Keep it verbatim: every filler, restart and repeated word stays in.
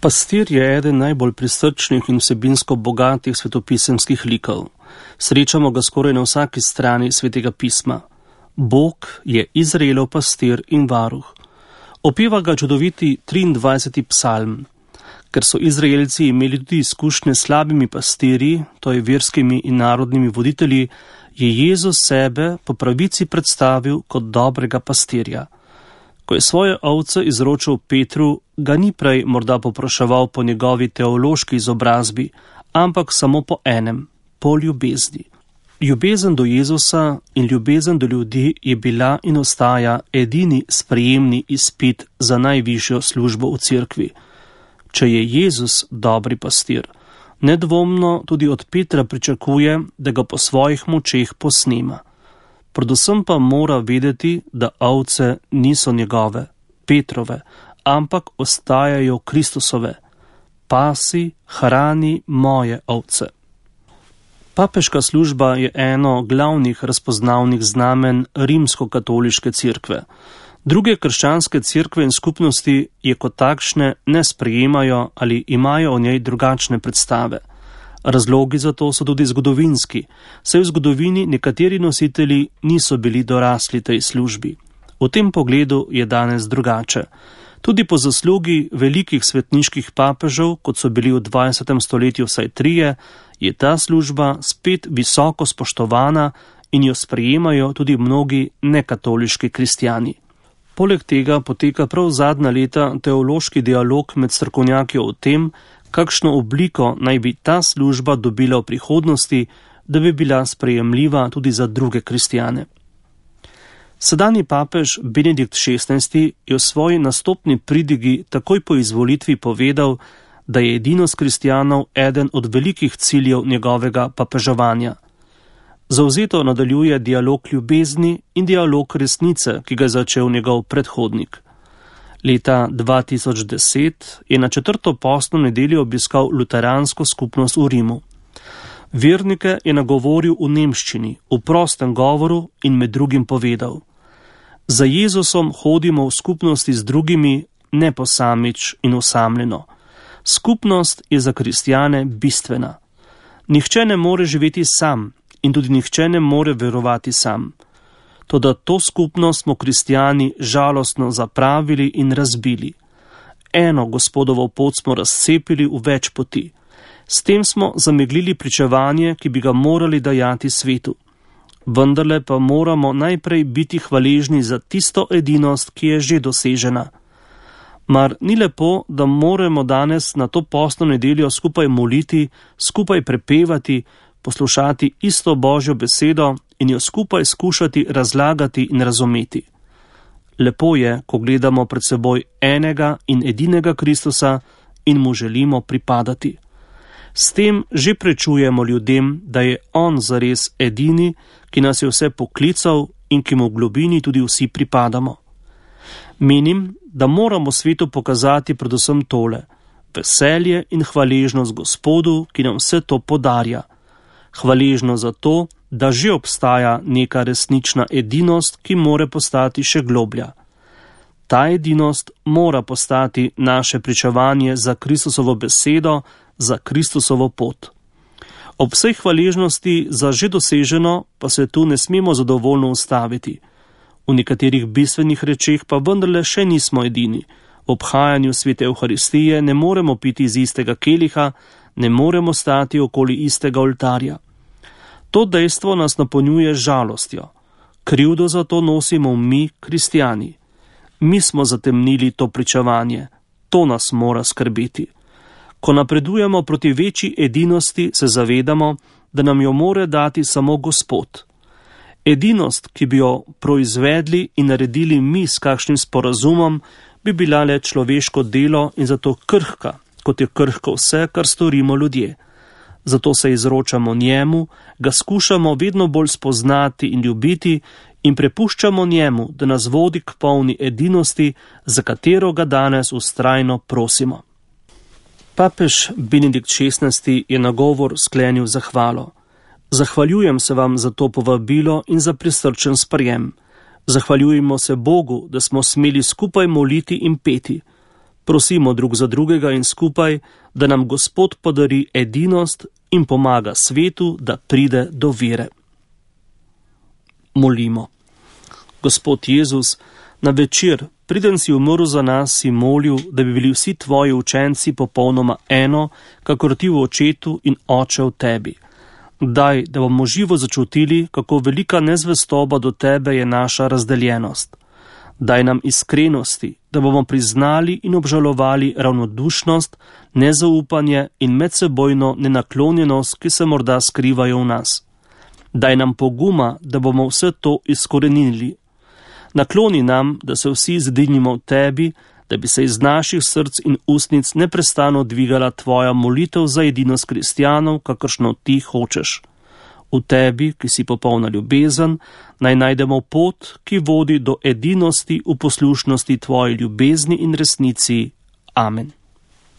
Pastir je eden najbolj prisrčnih in vsebinsko bogatih svetopisemskih likov. Srečamo ga skoraj na vsaki strani svetega pisma. Bog je Izraelov pastir in varuh. Opeva ga čudoviti triindvajseti psalm. Ker so Izraelci imeli tudi izkušnje s slabimi pastirji, to je verskimi in narodnimi voditelji, je Jezus sebe po pravici predstavil kot dobrega pastirja. Ko je svoje ovce izročil Petru, ga ni prej morda popraševal po njegovi teološki izobrazbi, ampak samo po enem, po ljubezni. Ljubezen do Jezusa in ljubezen do ljudi je bila in ostaja edini sprejemni izpit za najvišjo službo v cerkvi. Če je Jezus dobri pastir, nedvomno tudi od Petra pričakuje, da ga po svojih močeh posnema. Predvsem pa mora vedeti, da ovce niso njegove, Petrove, ampak ostajajo Kristusove. Pasi, hrani moje ovce. Papeška služba je eno glavnih razpoznavnih znamen rimsko-katoliške cerkve. Druge krščanske cerkve in skupnosti je kot takšne ne sprejemajo ali imajo o njej drugačne predstave. Razlogi za to so tudi zgodovinski, saj v zgodovini nekateri nositelji niso bili dorasli tej službi. V tem pogledu je danes drugače. Tudi po zaslugi velikih svetniških papežev, kot so bili v dvajsetem stoletju vsaj trije, je ta služba spet visoko spoštovana in jo sprejemajo tudi mnogi nekatoliški kristjani. Poleg tega poteka prav zadnja leta teološki dialog med strokovnjaki o tem, kakšno obliko naj bi ta služba dobila v prihodnosti, da bi bila sprejemljiva tudi za druge kristjane. Sedanji papež Benedikt šestnajsti je v svoji nastopni pridigi takoj po izvolitvi povedal, da je edinost kristjanov eden od velikih ciljev njegovega papeževanja. Zavzeto nadaljuje dialog ljubezni in dialog resnice, ki ga je začel njegov predhodnik. Leta dva tisoč deset je na četrto postno nedeljo obiskal luteransko skupnost v Rimu. Vernike je nagovoril v nemščini, v prostem govoru in med drugim povedal: Za Jezusom hodimo v skupnosti z drugimi, ne posamič in osamljeno. Skupnost je za kristjane bistvena. Nihče ne more živeti sam in tudi nihče ne more verovati sam. Toda to skupnost smo kristjani žalostno zapravili in razbili. Eno Gospodovo pot smo razcepili v več poti. S tem smo zameglili pričevanje, ki bi ga morali dajati svetu. Vendarle pa moramo najprej biti hvaležni za tisto edinost, ki je že dosežena. Mar ni lepo, da moramo danes na to postno nedeljo skupaj moliti, skupaj prepevati, poslušati isto Božjo besedo in jo skupaj skušati razlagati in razumeti. Lepo je, ko gledamo pred seboj enega in edinega Kristusa in mu želimo pripadati. S tem že prečujemo ljudem, da je on zares edini, ki nas je vse poklical in ki mu v globini tudi vsi pripadamo. Menim, da moramo svetu pokazati predvsem tole: veselje in hvaležnost Gospodu, ki nam vse to podarja. Hvaležno za to, da že obstaja neka resnična edinost, ki more postati še globlja. Ta edinost mora postati naše pričevanje za Kristusovo besedo, za Kristusovo pot. Ob vsej hvaležnosti za že doseženo pa se tu ne smemo zadovoljno ustaviti. V nekaterih bistvenih rečeh pa vendarle še nismo edini. V obhajanju svete Evharistije ne moremo piti iz istega keliha, ne moremo stati okoli istega oltarja. To dejstvo nas napolnjuje žalostjo. Krivdo za to nosimo mi, kristjani. Mi smo zatemnili to pričevanje. To nas mora skrbeti. Ko napredujemo proti večji edinosti, se zavedamo, da nam jo more dati samo Gospod. Edinost, ki bi jo proizvedli in naredili mi s kakšnim sporazumom, bi bila le človeško delo in zato krhka, kot je krhko vse, kar storimo ljudje. Zato se izročamo njemu, ga skušamo vedno bolj spoznati in ljubiti in prepuščamo njemu, da nas vodi k polni edinosti, za katero ga danes vztrajno prosimo. Papež Benedikt šestnajsti je nagovor sklenil zahvalo. Zahvaljujem se vam za to povabilo in za prisrčen sprejem. Zahvaljujemo se Bogu, da smo smeli skupaj moliti in peti. Prosimo drug za drugega in skupaj, da nam Gospod podari edinost in pomaga svetu, da pride do vere. Molimo. Gospod Jezus, na večer, preden si umrl za nas, si molil, da bi bili vsi tvoji učenci popolnoma eno, kakor ti v očetu in oče v tebi. Daj, da bomo živo začutili, kako velika nezvestoba do tebe je naša razdeljenost. Daj nam iskrenosti, da bomo priznali in obžalovali ravnodušnost, nezaupanje in medsebojno nenaklonjenost, ki se morda skrivajo v nas. Daj nam poguma, da bomo vse to izkorenili. Nakloni nam, da se vsi zedinimo v tebi, da bi se iz naših src in ustnic neprestano dvigala tvoja molitev za edinost kristjanov, kakršno ti hočeš. V tebi, ki si popolna ljubezen, naj najdemo pot, ki vodi do edinosti v poslušnosti tvoji ljubezni in resnici. Amen.